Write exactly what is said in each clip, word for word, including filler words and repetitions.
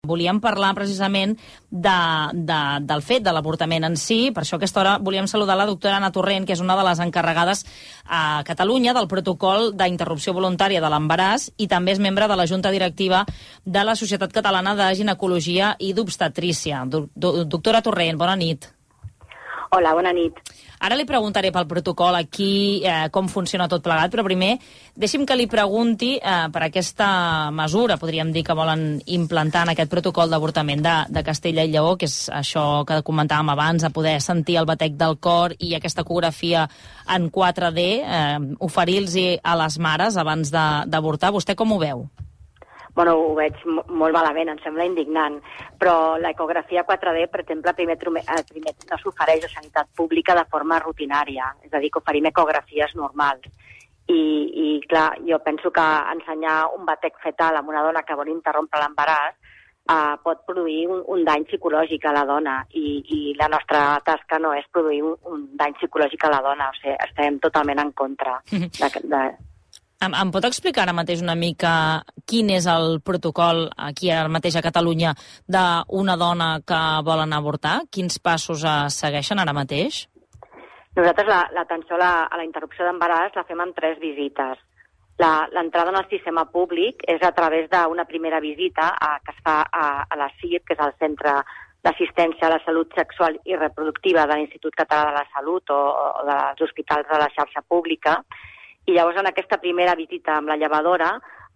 Volíem parlar precisament de, de, del fet de l'avortament en si, per això a aquesta hora volíem saludar la doctora Anna Torrent, que és una de les encarregades a Catalunya del protocol d'interrupció voluntària de l'embaràs i també és membre de la Junta Directiva de la Societat Catalana de Ginecologia i d'Obstetrícia. Do, do, doctora Torrent, bona nit. Hola, bona nit. Ara li preguntaré pel protocol aquí, eh, com funciona tot plegat, però primer deixi'm que li pregunti eh, per aquesta mesura, podríem dir, que volen implantar en aquest protocol d'avortament de, de Castella i Lleó, que és això que comentàvem abans, de poder sentir el batec del cor i aquesta ecografia en quatre D, eh, oferir-los a les mares abans d'avortar. Vostè com ho veu? Bueno, ho veig molt malament, em sembla indignant, però l'ecografia quatre D, per exemple, primer, primer no s'ofereix a sanitat pública de forma rutinària, és a dir, que oferim ecografies normals. I, i clar, jo penso que ensenyar un batec fetal a una dona que vol interrompre l'embaràs eh, pot produir un, un dany psicològic a la dona, i, i la nostra tasca no és produir un, un dany psicològic a la dona, o sigui, estem totalment en contra de... de Em, em pot explicar ara mateix una mica quin és el protocol aquí ara mateix a Catalunya d'una dona que vol anar a avortar? Quins passos es segueixen ara mateix? Nosaltres l'atenció la, a la interrupció d'embaràs la fem en tres visites. L'entrada en el sistema públic és a través d'una primera visita a, que es fa a, a la C I R, que és el Centre d'Assistència a la Salut Sexual i Reproductiva de l'Institut Català de la Salut o, o dels hospitals de la xarxa pública. I llavors en aquesta primera visita amb la llevadora,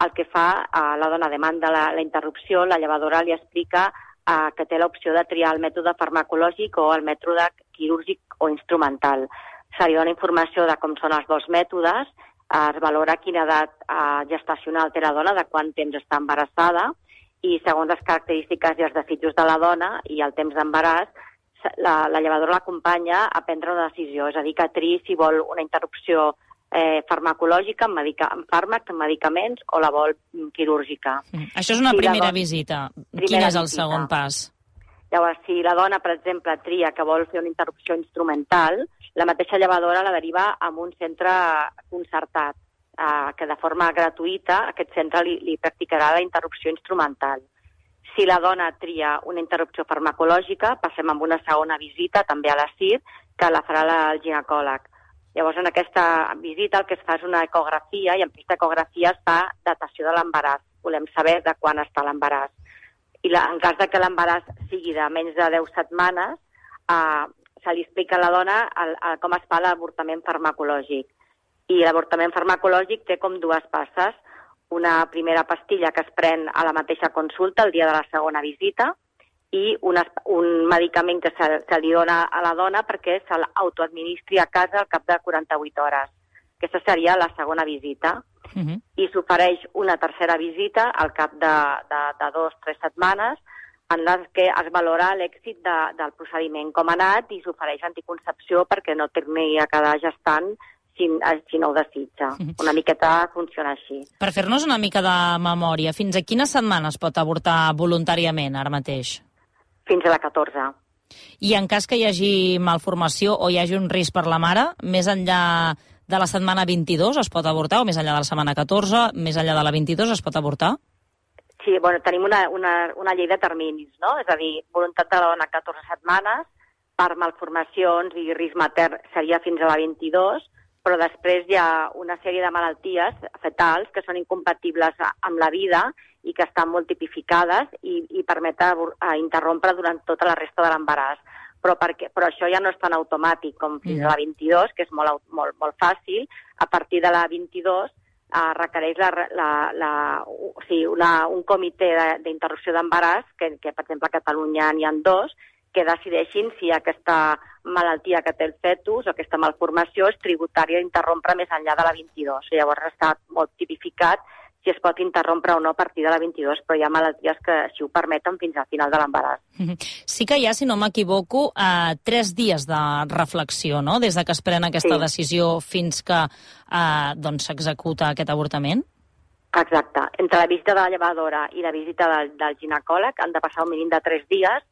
el que fa, eh, la dona demanda la, la interrupció, la llevadora li explica eh, que té l'opció de triar el mètode farmacològic o el mètode quirúrgic o instrumental. Se li dona informació de com són els dos mètodes, eh, es valora quina edat eh, gestacional té la dona, de quant temps està embarassada, i segons les característiques i els desitjos de la dona i el temps d'embaràs, la, la llevadora l'acompanya a prendre una decisió, és a dir, que triï si vol una interrupció Eh, farmacològica, amb, medica, amb fàrmacs, amb medicaments, o la vol quirúrgica. Mm. Això és una si primera dona, visita. Primera Quin és el visita. segon pas? Llavors, si la dona, per exemple, tria que vol fer una interrupció instrumental, la mateixa llevadora la deriva a un centre concertat, eh, que de forma gratuïta aquest centre li, li practicarà la interrupció instrumental. Si la dona tria una interrupció farmacològica, passem amb una segona visita, també a la C I R, que la farà la, el ginecòleg. Llavors, en aquesta visita el que es fa és una ecografia, i en aquesta ecografia es fa datació de l'embaràs. Volem saber de quan està l'embaràs. I la, en cas de que l'embaràs sigui de menys de deu setmanes, eh, se li explica a la dona el, el, com es fa l'avortament farmacològic. I l'avortament farmacològic té com dues passes. Una primera pastilla que es pren a la mateixa consulta el dia de la segona visita, i una, un medicament que se, se li dona a la dona perquè se l'autoadministri a casa al cap de quaranta-vuit hores. Aquesta seria la segona visita. Uh-huh. I s'ofereix una tercera visita al cap de, de, de dos o tres setmanes en les que es valora l'èxit de, del procediment, com ha anat, i s'ofereix anticoncepció perquè no torni a quedar gestant si, si no ho desitja. Uh-huh. Una miqueta funciona així. Per fer-nos una mica de memòria, fins a quines setmanes pot avortar voluntàriament ara mateix? Fins a la catorze. I en cas que hi hagi malformació o hi hagi un risc per la mare, més enllà de la setmana vint-i-dos es pot avortar, o més enllà de la setmana catorze, més enllà de la vint-i-dos es pot avortar? Sí, bueno, tenim una, una, una llei de terminis, no? És a dir, voluntat de la dona catorze setmanes, per malformacions i risc matern seria fins a la vint-i-dos, però després hi ha una sèrie de malalties fetals que són incompatibles amb la vida i que estan molt tipificades i, i permeten interrompre durant tota la resta de l'embaràs. Però, perquè, però això ja no és tan automàtic com fins a la vint-i-dos, que és molt, molt, molt fàcil. A partir de la vint-i-dos eh, requereix la, la, la, o sigui, una, un comitè d'interrupció d'embaràs, que, que per exemple a Catalunya n'hi ha dos, que decideixin si aquesta malaltia que té el fetus o aquesta malformació és tributària d'interrompre més enllà de la vint-i-dos. Llavors està molt tipificat si es pot interrompre o no a partir de la vint-i-dos, però hi ha malalties que així ho permeten fins al final de l'embaràs. Sí que hi ha, si no m'equivoco, eh, tres dies de reflexió, no?, des de que es pren aquesta sí. decisió fins que eh, doncs, s'executa aquest avortament? Exacte. Entre la visita de la llevadora i la visita del, del ginecòleg han de passar un mínim de tres dies.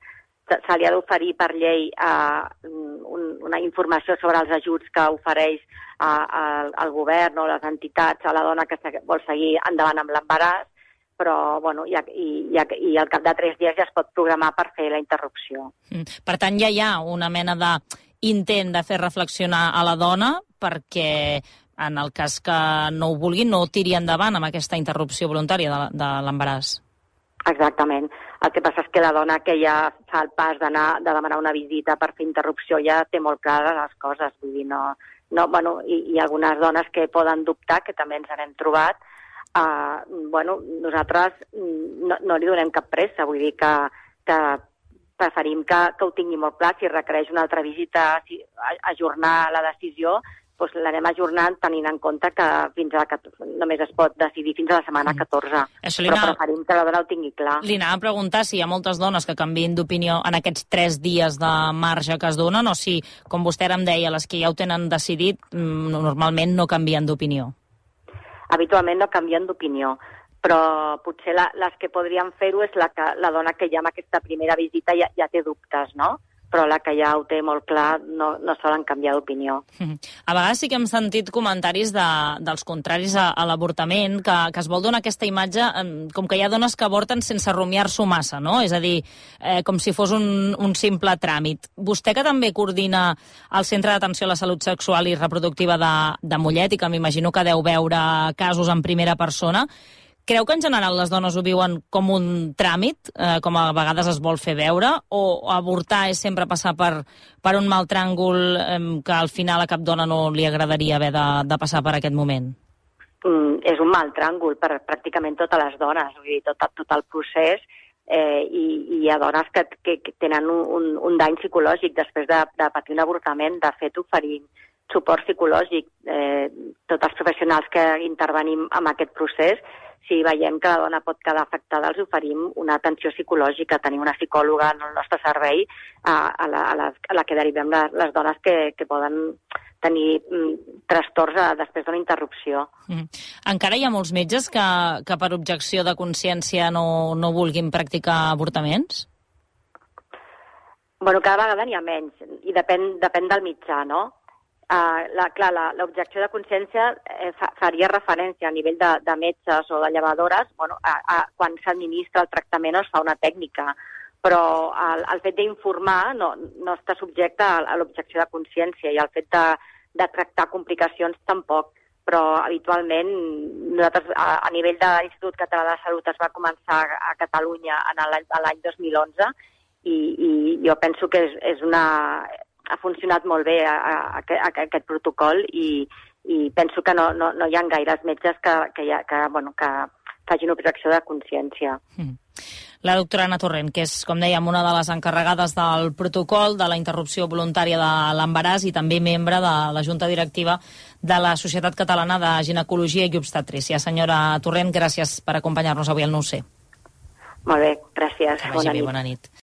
Se li ha d'oferir per llei eh, un, una informació sobre els ajuts que ofereix eh, el, el govern o les entitats a la dona que se, vol seguir endavant amb l'embaràs, però bueno, i, i, i, i al cap de tres dies ja es pot programar per fer la interrupció. Per tant, ja hi ha una mena d'intent de fer reflexionar a la dona perquè, en el cas que no ho vulguin, no tiri endavant amb aquesta interrupció voluntària de, de l'embaràs. Exactament. El que passa és que la dona que ja fa el pas d'anar de demanar una visita per fer interrupció ja té molt clares les coses. Vull dir, no, no, bueno, i, i algunes dones que poden dubtar, que també ens n'hem trobat, uh, bueno, nosaltres no, no li donem cap pressa. Vull dir que, que preferim que, que ho tingui molt clar. Si requereix una altra visita, si, ajornar la decisió, doncs l'anem ajornant tenint en compte que fins a la, només es pot decidir fins a la setmana catorze. Això Però anava... preferim que la dona ho tingui clar. Li anava a preguntar si hi ha moltes dones que canvien d'opinió en aquests tres dies de marge que es donen o si, com vostè ara em deia, les que ja ho tenen decidit normalment no canvien d'opinió. Habitualment no canvien d'opinió, però potser la, les que podrien fer-ho és la, que, la dona que ja en aquesta primera visita ja, ja té dubtes, no? Però la que ja ho té molt clar no, no solen canviar d'opinió. A vegades sí que hem sentit comentaris de, dels contraris a, a l'avortament, que, que es vol donar aquesta imatge com que hi ha dones que avorten sense rumiar-s'ho massa, no? És a dir, eh, com si fos un, un simple tràmit. Vostè, que també coordina el Centre d'Atenció a la Salut Sexual i Reproductiva de, de Mollet, i que m'imagino que deu veure casos en primera persona, creu que en general les dones ho viuen com un tràmit, eh, com a vegades es vol fer veure, o avortar és sempre passar per, per un mal tràngol eh, que al final a cap dona no li agradaria haver de, de passar per aquest moment? Mm, és un mal tràngol per pràcticament totes les dones, vull dir, tot, tot el procés, eh, i, i hi ha dones que, que, que tenen un, un, un dany psicològic després de, de patir un avortament. De fet, oferim suport psicològic. Eh, tots els professionals que intervenim en aquest procés, si veiem que la dona pot quedar afectada, els oferim una atenció psicològica. Tenim una psicòloga en el nostre servei a, a, la, a, la, a la que derivem les, les dones que, que poden tenir mm, trastorns a, després d'una interrupció. Mm. Encara hi ha molts metges que, que per objecció de consciència no, no vulguin practicar avortaments? Bueno, cada vegada n'hi ha menys, i depèn, depèn del mitjà, no? Uh, la, clar, l'objecció de consciència eh, fa, faria referència a nivell de, de metges o de llevadores, bueno, a, a, quan s'administra el tractament o es fa una tècnica, però el, el fet d'informar no, no està subjecte a, a l'objecció de consciència, i el fet de, de tractar complicacions tampoc. Però habitualment nosaltres a, a nivell de l'Institut Català de Salut es va començar a, a Catalunya en l'any dos mil onze, i, i jo penso que és, és una... ha funcionat molt bé a, a, a, a aquest protocol, i, i penso que no, no, no hi ha gaires metges que, que, ha, que, bueno, que facin objecció de consciència. Mm. La doctora Anna Torrent, que és, com dèiem, una de les encarregades del protocol de la interrupció voluntària de l'embaràs i també membre de la Junta Directiva de la Societat Catalana de Ginecologia i Obstetrícia. Senyora Torrent, gràcies per acompanyar-nos avui al Nou C. Molt bé, gràcies. Que vagi bé, bona nit.